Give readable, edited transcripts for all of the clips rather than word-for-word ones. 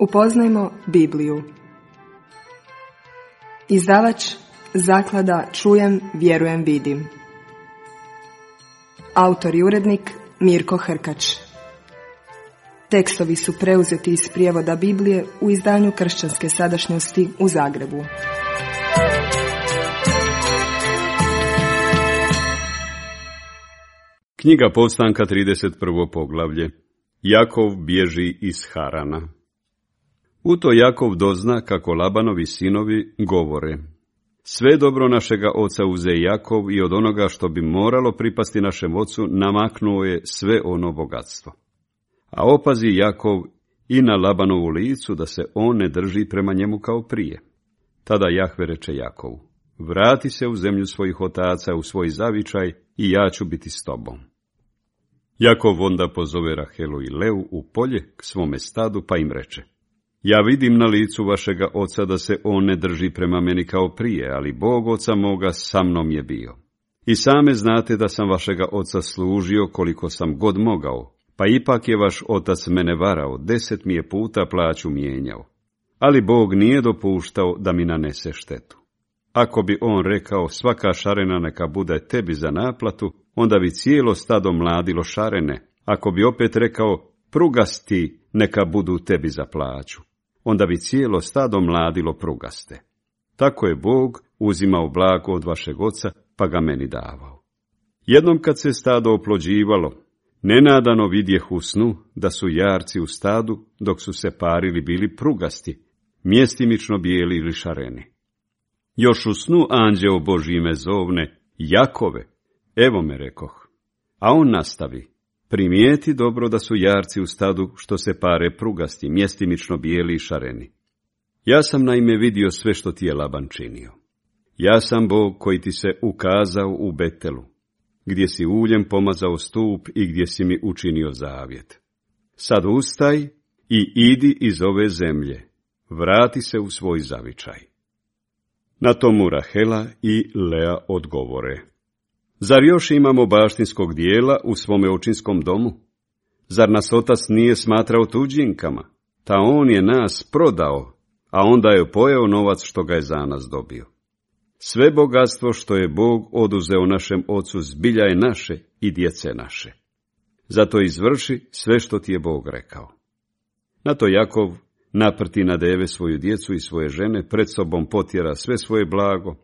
Upoznajmo Bibliju. Izdavač Zaklada Čujem, vjerujem, vidim. Autor i urednik Mirko Hrkač. Tekstovi su preuzeti iz prijevoda Biblije u izdanju Kršćanske sadašnjosti u Zagrebu. Knjiga Povstanka, 31. poglavlje. Jakov bježi iz Harana. U to Jakov dozna kako Labanovi sinovi govore: sve dobro našega oca uze Jakov i od onoga što bi moralo pripasti našem ocu namaknuo je sve ono bogatstvo. A opazi Jakov i na Labanovu licu da se on ne drži prema njemu kao prije. Tada Jahve reče Jakovu: vrati se u zemlju svojih otaca, u svoj zavičaj, i ja ću biti s tobom. Jakov onda pozove Rahelu i Leu u polje k svome stadu, pa im reče: ja vidim na licu vašega oca da se on ne drži prema meni kao prije, ali Bog oca moga sa mnom je bio. I same znate da sam vašega oca služio koliko sam god mogao, pa ipak je vaš otac mene varao, 10 mi je puta plaću mijenjao. Ali Bog nije dopuštao da mi nanese štetu. Ako bi on rekao: svaka šarena neka bude tebi za naplatu, onda bi cijelo stado mladilo šarene. Ako bi opet rekao: prugasti neka budu tebi za plaću, onda bi cijelo stado mladilo prugaste. Tako je Bog uzimao blago od vašeg oca, pa ga meni davao. Jednom kad se stado oplođivalo, nenadano vidjeh u snu da su jarci u stadu, dok su se parili, bili prugasti, mjestimično bijeli ili šareni. Još u snu anđeo Božji me zovne: Jakove, evo me, rekoh. A on nastavi: primijeti dobro da su jarci u stadu što se pare prugasti, mjestimično bijeli i šareni. Ja sam naime vidio sve što ti je Laban činio. Ja sam Bog koji ti se ukazao u Betelu, gdje si uljem pomazao stup i gdje si mi učinio zavjet. Sad ustaj i idi iz ove zemlje, vrati se u svoj zavičaj. Na tomu Rahela i Lea odgovore: zar još imamo baštinskog dijela u svome očinskom domu? Zar nas otac nije smatrao tuđinkama? Ta on je nas prodao, a onda je pojeo novac što ga je za nas dobio. Sve bogatstvo što je Bog oduzeo našem ocu zbilja je naše i djece naše. Zato izvrši sve što ti je Bog rekao. Na to Jakov naprti na deve svoju djecu i svoje žene, pred sobom potjera sve svoje blago,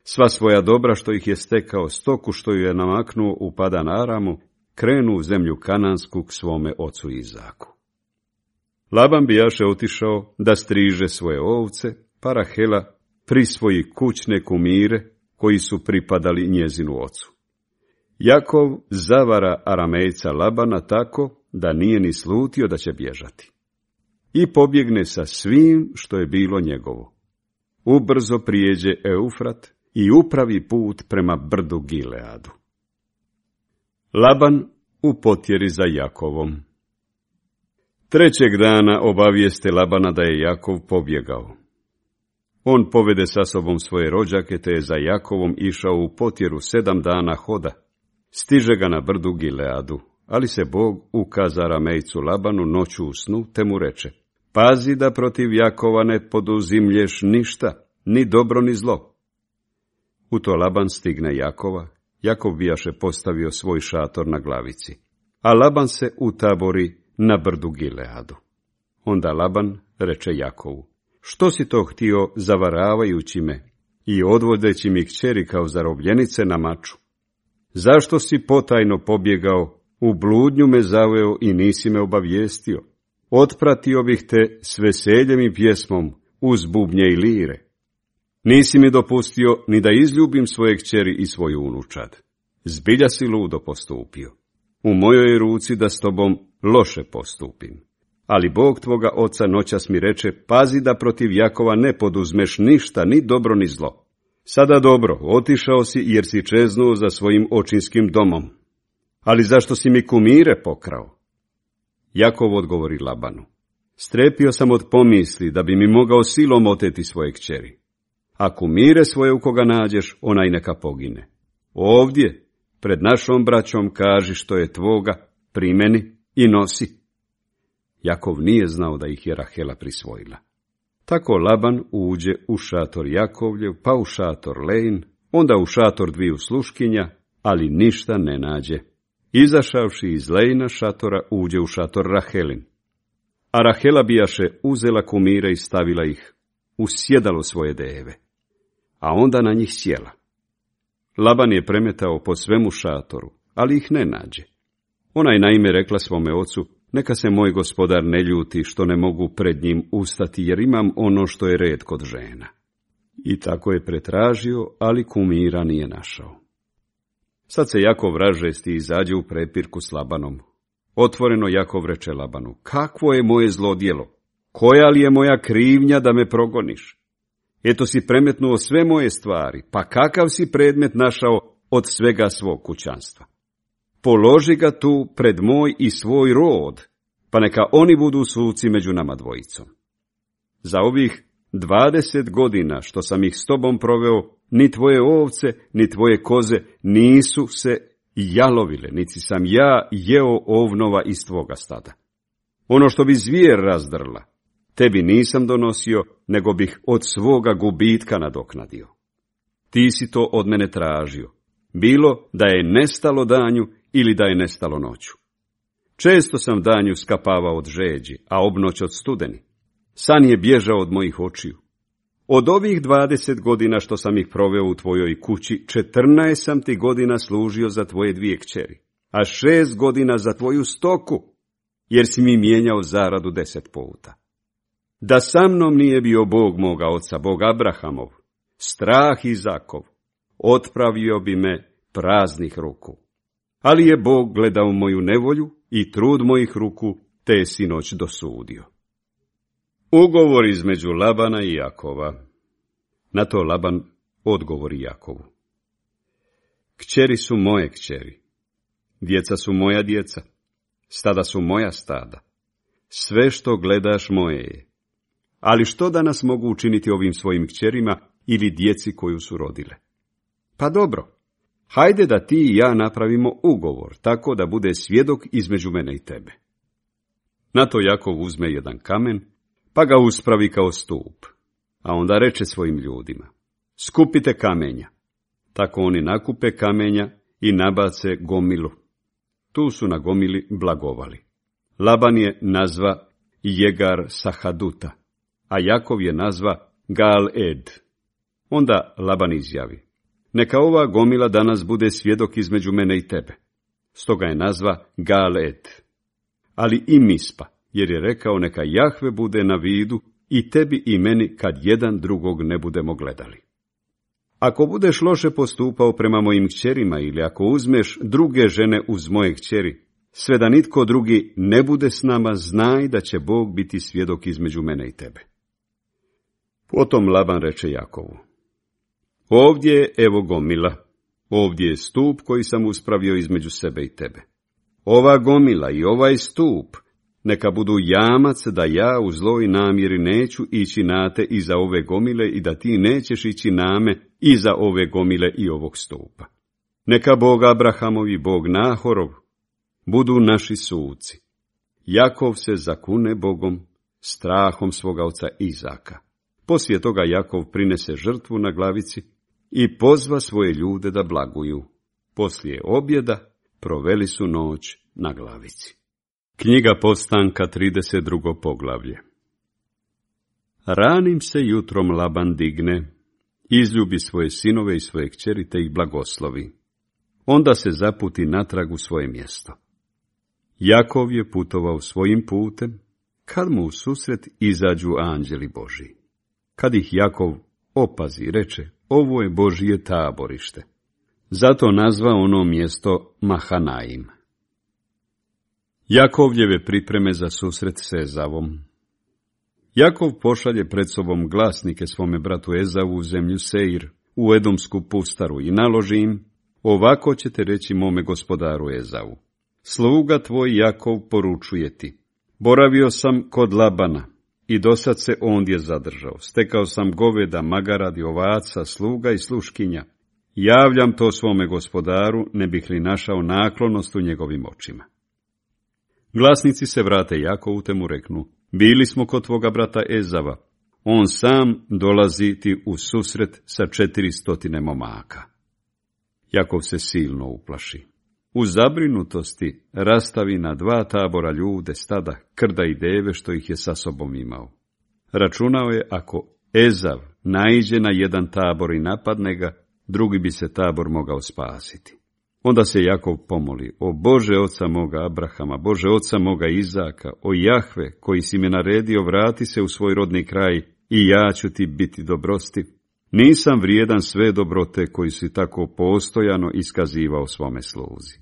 sva svoja dobra što ih je stekao, stoku što ju je namaknuo u Padan Aramu, krenu u zemlju Kanansku k svome ocu Izaku. Laban bijaše otišao da striže svoje ovce, pa Rahela prisvoji kućne kumire koji su pripadali njezinu ocu. Jakov zavara Aramejca Labana tako da nije ni slutio da će bježati. I pobjegne sa svim što je bilo njegovo. Ubrzo prijeđe Eufrat i upravi put prema brdu Gileadu. Laban u potjeri za Jakovom. Trećeg dana obavijeste Labana da je Jakov pobjegao. On povede sa sobom svoje rođake, te je za Jakovom išao u potjeru 7 dana hoda. Stiže ga na brdu Gileadu, ali se Bog ukaza Aramejcu Labanu noću u snu, te mu reče: pazi da protiv Jakova ne poduzimlješ ništa, ni dobro ni zlo. U to Laban stigne Jakova. Jakov bijaše postavio svoj šator na glavici, a Laban se utabori na brdu Gileadu. Onda Laban reče Jakovu: što si to htio zavaravajući me i odvodeći mi kćeri kao zarobljenice na maču? Zašto si potajno pobjegao, u bludnju me zaveo i nisi me obavijestio? Otpratio bih te s veseljem i pjesmom, uz bubnje i lire. Nisi mi dopustio ni da izljubim svoje kćeri i svoju unučad. Zbilja si ludo postupio. U mojoj ruci da s tobom loše postupim. Ali Bog tvoga oca noćas mi reče: pazi da protiv Jakova ne poduzmeš ništa, ni dobro ni zlo. Sada dobro, otišao si jer si čeznuo za svojim očinskim domom. Ali zašto si mi kumire pokrao? Jakov odgovori Labanu: strepio sam od pomisli da bi mi mogao silom oteti svoje kćeri. A kumire svoje u koga nađeš, onaj neka pogine. Ovdje, pred našom braćom, kaži što je tvoga, primeni i nosi. Jakov nije znao da ih je Rahela prisvojila. Tako Laban uđe u šator Jakovljev, pa u šator Lein, onda u šator dviju sluškinja, ali ništa ne nađe. Izašavši iz Leina šatora, uđe u šator Rahelin. A Rahela bijaše uzela kumire i stavila ih u sjedalo svoje deve, a onda na njih sjela. Laban je premetao po svemu šatoru, ali ih ne nađe. Ona je naime rekla svome ocu, neka se moj gospodar ne ljuti što ne mogu pred njim ustati, jer imam ono što je red kod žena. I tako je pretražio, ali kumira nije našao. Sad se Jakov ražesti i izađe u prepirku s Labanom. Otvoreno Jakov reče Labanu, kakvo je moje zlodjelo? Koja li je moja krivnja da me progoniš? Eto si premetnuo sve moje stvari, pa kakav si predmet našao od svega svog kućanstva? Položi ga tu pred moj i svoj rod, pa neka oni budu suci među nama dvojicom. Za ovih 20 godina što sam ih s tobom proveo, ni tvoje ovce, ni tvoje koze nisu se jalovile, niti sam ja jeo ovnova iz tvoga stada. Ono što bi zvijer razdrla, tebi nisam donosio, nego bih od svoga gubitka nadoknadio. Ti si to od mene tražio, bilo da je nestalo danju ili da je nestalo noću. Često sam danju skapavao od žeđi, a obnoć od studeni. San je bježao od mojih očiju. Od ovih 20 godina što sam ih proveo u tvojoj kući, 14 sam ti godina služio za tvoje 2 kćeri, a 6 godina za tvoju stoku, jer si mi mijenjao zaradu 10 puta. Da sa mnom nije bio Bog moga oca, Bog Abrahamov, strah Izakov, otpravio bi me praznih ruku. Ali je Bog gledao moju nevolju i trud mojih ruku, te je sinoć dosudio. Ugovor između Labana i Jakova. Na to Laban odgovori Jakovu. Kćeri su moje kćeri, djeca su moja djeca, stada su moja stada. Sve što gledaš moje je. Ali što danas mogu učiniti ovim svojim kćerima ili djeci koju su rodile? Pa dobro, hajde da ti i ja napravimo ugovor, tako da bude svjedok između mene i tebe. Na to Jakov uzme jedan kamen, pa ga uspravi kao stup, a onda reče svojim ljudima, skupite kamenja. Tako oni nakupe kamenja i nabace gomilu. Tu su na gomili blagovali. Laban je nazva Jegar Sahaduta, a Jakov je nazva Gal Ed. Onda Laban izjavi, neka ova gomila danas bude svjedok između mene i tebe. Stoga je nazva Gal Ed. Ali i Mispa, jer je rekao neka Jahve bude na vidu i tebi i meni kad jedan drugog ne budemo gledali. Ako budeš loše postupao prema mojim kćerima ili ako uzmeš druge žene uz moje kćeri, sve da nitko drugi ne bude s nama, znaj da će Bog biti svjedok između mene i tebe. Potom Laban reče Jakovu, ovdje je evo gomila, ovdje je stup koji sam uspravio između sebe i tebe. Ova gomila i ovaj stup neka budu jamac da ja u zloj namjeri neću ići na te iza ove gomile i da ti nećeš ići name iza ove gomile i ovog stupa. Neka Bog Abrahamov i Bog Nahorov budu naši suci. Jakov se zakune Bogom, strahom svoga oca Izaka. Poslije toga Jakov prinese žrtvu na glavici i pozva svoje ljude da blaguju. Poslije objeda proveli su noć na glavici. Knjiga Postanka, 32. poglavlje. Ranim se jutrom Laban digne, izljubi svoje sinove i svoje kćeri te ih blagoslovi. Onda se zaputi natrag u svoje mjesto. Jakov je putovao svojim putem, kad mu u susret izađu anđeli Božji. Kad ih Jakov opazi, reče, ovo je Božje taborište. Zato nazva ono mjesto Mahanaim. Jakovljeve pripreme za susret s Ezavom. Jakov pošalje pred sobom glasnike svome bratu Ezavu u zemlju Seir, u Edomsku pustaru i naloži im, ovako ćete reći mome gospodaru Ezavu. Sluga tvoj Jakov poručuje ti, boravio sam kod Labana i dosad se ondje zadržao. Stekao sam goveda, magaradi, ovaca, sluga i sluškinja. Javljam to svome gospodaru, ne bih li našao naklonost u njegovim očima. Glasnici se vrate Jakovu te mu reknu, bili smo kod tvoga brata Ezava, on sam dolazi ti u susret sa 400 momaka. Jakov se silno uplaši. U zabrinutosti rastavi na 2 tabora ljude, stada, krda i deve što ih je sa sobom imao. Računao je ako Ezav naiđe na jedan tabor i napadne ga, drugi bi se tabor mogao spasiti. Onda se Jakov pomoli, o Bože oca moga Abrahama, Bože oca moga Izaka, o Jahve koji si me naredio, vrati se u svoj rodni kraj i ja ću ti biti dobrostiv. Nisam vrijedan sve dobrote koji si tako postojano iskazivao svome sluzi.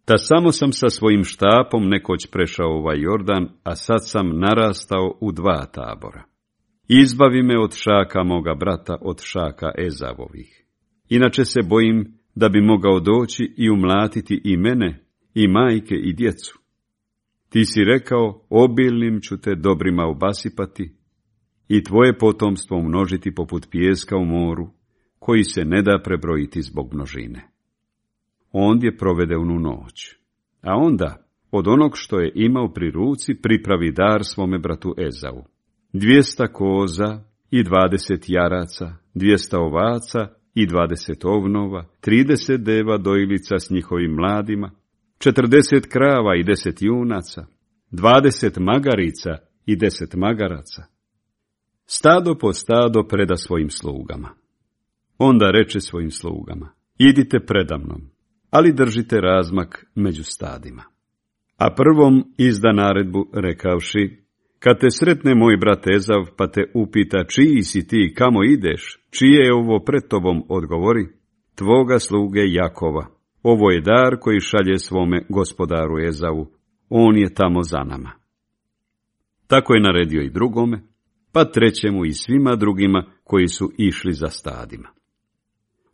Ta samo sam sa svojim štapom nekoć prešao ovaj Jordan, a sad sam narastao u 2 tabora. Izbavi me od šaka moga brata, od šaka Ezavovih. Inače se bojim da bi mogao doći i umlatiti i mene, i majke, i djecu. Ti si rekao, obilnim ću te dobrima obasipati i tvoje potomstvo umnožiti poput pijeska u moru, koji se ne da prebrojiti zbog množine. Ondje provede onu noć, a onda od onog što je imao pri ruci pripravi dar svome bratu Ezavu. 200 koza i 20 jaraca, 200 ovaca i 20 ovnova, 30 deva dojilica s njihovim mladima, 40 krava i 10 junaca, 20 magarica i 10 magaraca. Stado po stado preda svojim slugama. Onda reče svojim slugama, idite predamnom, ali držite razmak među stadima. A prvom izda naredbu rekavši, kad te sretne moj brat Ezav, pa te upita čiji si ti, kamo ideš, čije je ovo pred tobom, odgovori, tvoga sluge Jakova. Ovo je dar koji šalje svome gospodaru Ezavu, on je tamo za nama. Tako je naredio i drugome, pa trećemu i svima drugima koji su išli za stadima.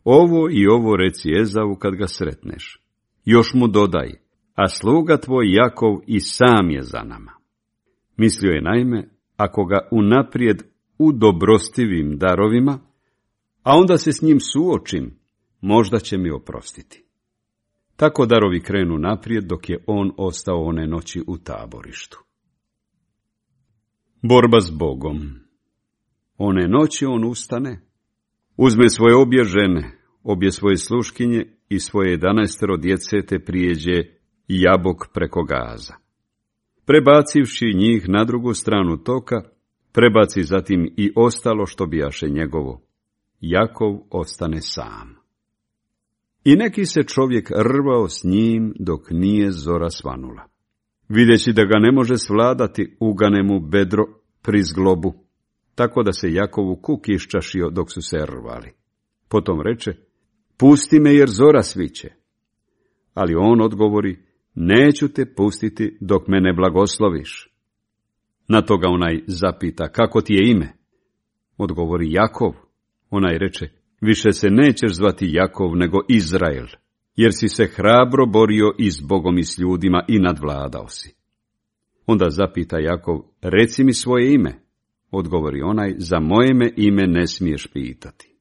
Ovo i ovo reci Ezavu kad ga sretneš. Još mu dodaj, a sluga tvoj Jakov i sam je za nama. Mislio je naime, ako ga unaprijed u dobrostivim darovima, a onda se s njim suočim, možda će mi oprostiti. Tako darovi krenu naprijed dok je on ostao one noći u taborištu. Borba s Bogom. One noći on ustane, uzme svoje obje žene, obje svoje sluškinje i svoje 11 djece te prijeđe Jabok preko Gaza. Prebacivši njih na drugu stranu toka, prebaci zatim i ostalo što bijaše njegovo. Jakov ostane sam. I neki se čovjek rvao s njim dok nije zora svanula. Videći da ga ne može svladati, ugane mu bedro pri zglobu, tako da se Jakovu kuk iščašio dok su se rvali. Potom reče, pusti me jer zora sviće. Ali on odgovori, neću te pustiti dok me ne blagosloviš. Na to ga onaj zapita, kako ti je ime? Odgovori Jakov. Onaj reče, više se nećeš zvati Jakov nego Izrael, jer si se hrabro borio i s Bogom i s ljudima i nadvladao si. Onda zapita Jakov, reci mi svoje ime. Odgovori onaj, za moje me ime ne smiješ pitati.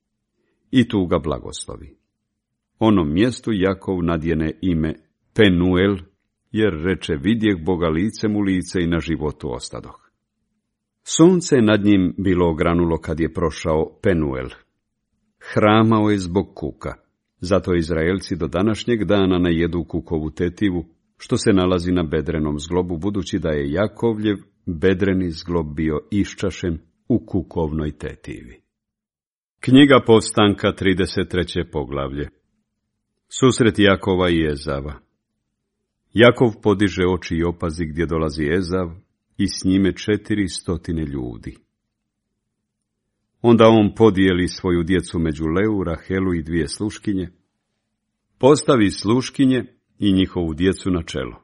I tu ga blagoslovi. Onom mjestu Jakov nadjene ime Penuel, jer reče, vidjeh Boga licem u lice i na životu ostadoh. Sunce nad njim bilo ogranulo kad je prošao Penuel. Hramao je zbog kuka, zato Izraelci do današnjeg dana ne jedu kukovu tetivu, što se nalazi na bedrenom zglobu, budući da je Jakovljev bedreni zglob bio iščašen u kukovnoj tetivi. Knjiga Povstanka, 33. poglavlje. Susret Jakova i Ezava. Jakov podiže oči i opazi gdje dolazi Ezav i s njime 400 ljudi. Onda on podijeli svoju djecu među Leu, Rahelu i 2 sluškinje, postavi sluškinje i njihovu djecu na čelo.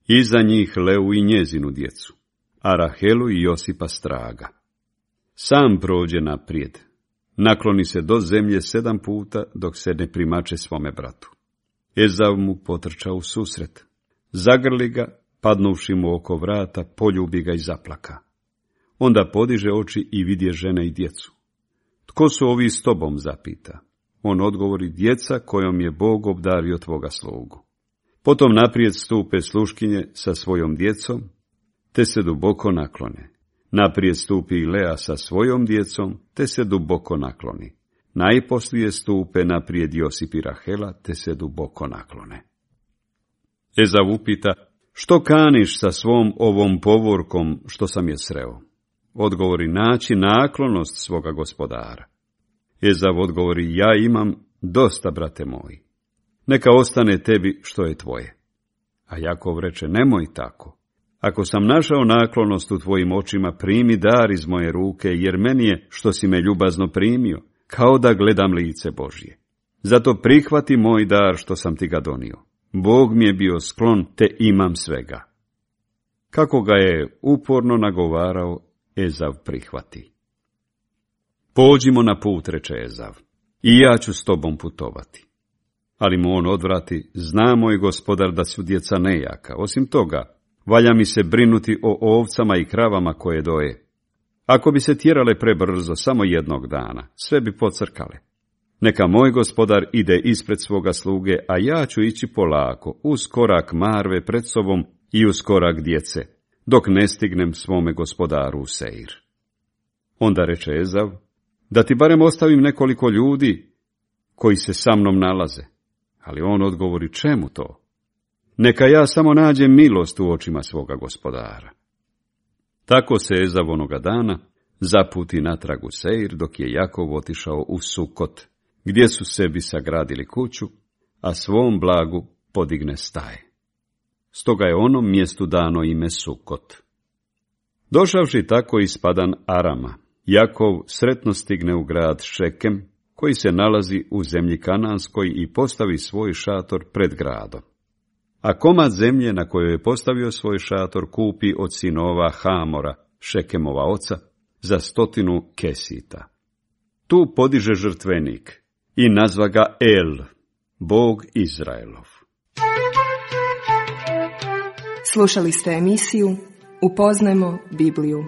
Iza njih Leu i njezinu djecu, a Rahelu i Josipa straga. Sam prođe naprijed, nakloni se do zemlje 7 puta dok se ne primače svome bratu. Ezav mu potrča u susret, zagrli ga, padnuvši mu oko vrata, poljubi ga i zaplaka. Onda podiže oči i vidje žene i djecu. Tko su ovi s tobom, zapita. On odgovori, djeca kojom je Bog obdario tvoga slugu. Potom naprijed stupe sluškinje sa svojom djecom, te se duboko naklone. Naprijed stupi i Lea sa svojom djecom, te se duboko nakloni. Najposlije stupe naprijed Josip i Rahela, te se duboko naklone. Ezav upita, što kaniš sa svom ovom povorkom što sam je sreo? Odgovori, naći naklonost svoga gospodara. Ezav odgovori, ja imam dosta, brate moji. Neka ostane tebi što je tvoje. A Jakov reče, nemoj tako. Ako sam našao naklonost u tvojim očima, primi dar iz moje ruke, jer meni je, što si me ljubazno primio, kao da gledam lice Božje. Zato prihvati moj dar što sam ti ga donio. Bog mi je bio sklon, te imam svega. Kako ga je uporno nagovarao, Ezav prihvati. Pođimo na put, reče Ezav, i ja ću s tobom putovati. Ali mu on odvrati, zna moj gospodar da su djeca nejaka. Osim toga, valja mi se brinuti o ovcama i kravama koje doje. Ako bi se tjerale prebrzo, samo jednog dana, sve bi pocrkale. Neka moj gospodar ide ispred svoga sluge, a ja ću ići polako, uz korak marve pred sobom i uz korak djece, dok ne stignem svome gospodaru u Seir. Onda reče Ezav, da ti barem ostavim nekoliko ljudi koji se sa mnom nalaze. Ali on odgovori, čemu to? Neka ja samo nađem milost u očima svoga gospodara. Tako se Ezav onoga dana zaputi natrag u Seir, dok je Jakov otišao u Sukot, gdje su sebi sagradili kuću, a svom blagu podigne staje. Stoga je onom mjestu dano ime Sukot. Došavši tako iz Padan Arama, Jakov sretno stigne u grad Šekem, koji se nalazi u zemlji Kananskoj, i postavi svoj šator pred gradom. A komad zemlje na kojoj je postavio svoj šator kupi od sinova Hamora, Šekemova oca, za 100 kesita. Tu podiže žrtvenik i nazva ga El, Bog Izraelov. Slušali ste emisiju Upoznajmo Bibliju.